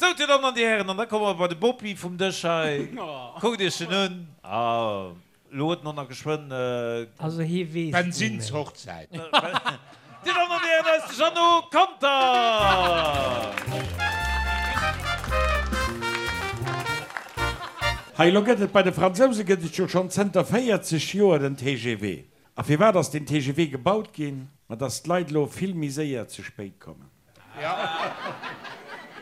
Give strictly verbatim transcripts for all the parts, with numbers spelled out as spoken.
Sou, Dir Dammen an Dir Hären, an da komme mer bei de Bopi vum Dësch hei. Kuckt Iech en un. Ah, elo huet en och nach geschwënn. Also hie weess ni méi. Bensinshochzäit. Dir Dammen an Dir Hären, hei ass de Jeannot Conter! Hei, elo gëtt et bei de Fransouse gëtt et jo schonn zënter véierzeg Joer den T G V. A firwat ass den T G V gebaut ginn? Ma dass d'Leit elo vill méi séier ze spéit kommen.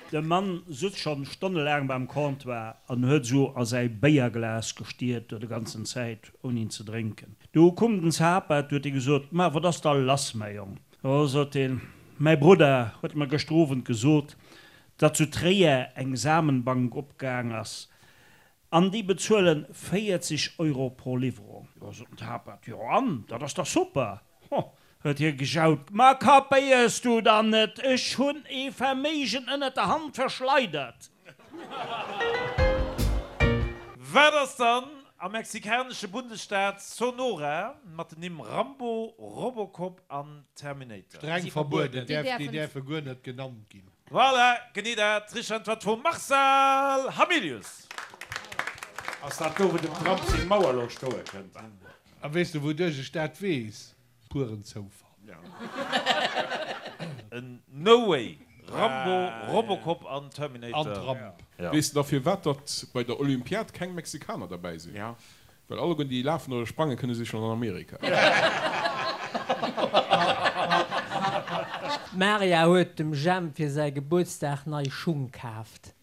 De Mann sutz schonn stonnelaang beim Comptoir an huet sou a säi Béierglas gestiert do de ganzen Zäit, ouni en ze drénken. Du kumm den Zapaert, du huet hie gesot, Ma wat ass da lass, mäi Jong? O, sot hien, mäi Brudder huet mer gëschter Owend gesot, datt zu Tréier eng Samenbank opgaang ass an déi bezuelen véierzeg Euro pro Liwwerung. Jo, sot den Zapaert, jo an, dat ass dach super! Ho, huet hie gejaut, ma kapéiers du dann net, ech hunn ee Verméigen ënnert der Hand verschleidert! Wat ass dann am mexikanesche Bundesstaat Sonora mat den Nimm Rambo, Robocop an Terminator? Streng verbueden, déi däerfe guer net genannt ginn. Voilà, genee dat. Richteg Äntwert vum Marcel Hamilius. Ass dat do, wou dem Trump seng Mauer elo stoe kënnt? A weess de wouduerch ech dat weess? Puren Zoufall. En No way! Rambo, Robocop an Terminator. An Trump. Weess de da firwat datt bei der Olympiad keng Mexikaner derbäi sinn? Well alleguerten déi lafen oder sprange kënne si schonn an Amerika. D'Maria huet dem Jemp fir säi Gebuertsdag nei Schung kaaft.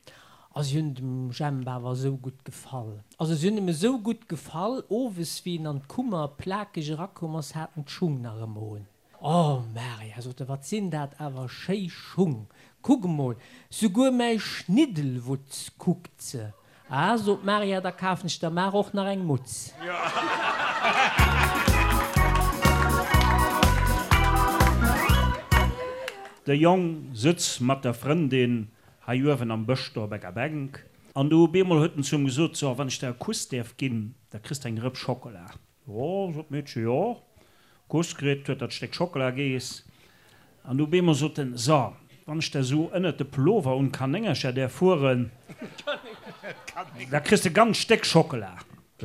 A si hunn dem Jemp awer esou gutt gefall. Also si hunn em esou gutt gefall, owes wéi en an d'Kummer plakeg erakomm ass, hat en d'Schung nach ëmmer un. Oh Maria, sot e, wat sinn dat awer schéi Schung! Kuck emol, souguer mäi Schniddelwutz kuckt se. Ah, sot d'Maria, da kafen ech der mar och nach eng Mutz. De Jong sëtz mat der Frëndin hei uewen am Bësch do op enger Bänk, an du op eemol huet en zu em gesot, So, wann ech der e Kuss däerf ginn, da kriss de eng Rëpp Schockela. Jo, sot d'Meedche, jo. Kuss kritt, huet dat Stéck Schockela geess, an du op eemol sot en, So, wann ech der sou ënnert de Pullover un d'Kanéngercher däerf fueren, da kriss de e ganz Stéck Schockela.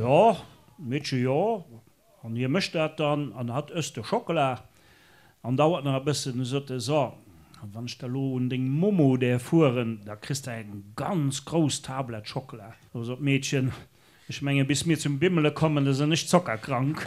Jo, d'Meedche, jo. An hie mécht dat dann, an hatt ësst de Schockela. An dauert nach e bëssen, du sot e, So, wann ech der elo un deng Momo däerf fueren, da kriss de eng ganz grouss Tablett Schockela. Do sot d'Meedchen, Ech mengen, bis mir zum Bimmele kommen, da sinn ech zockerkrank.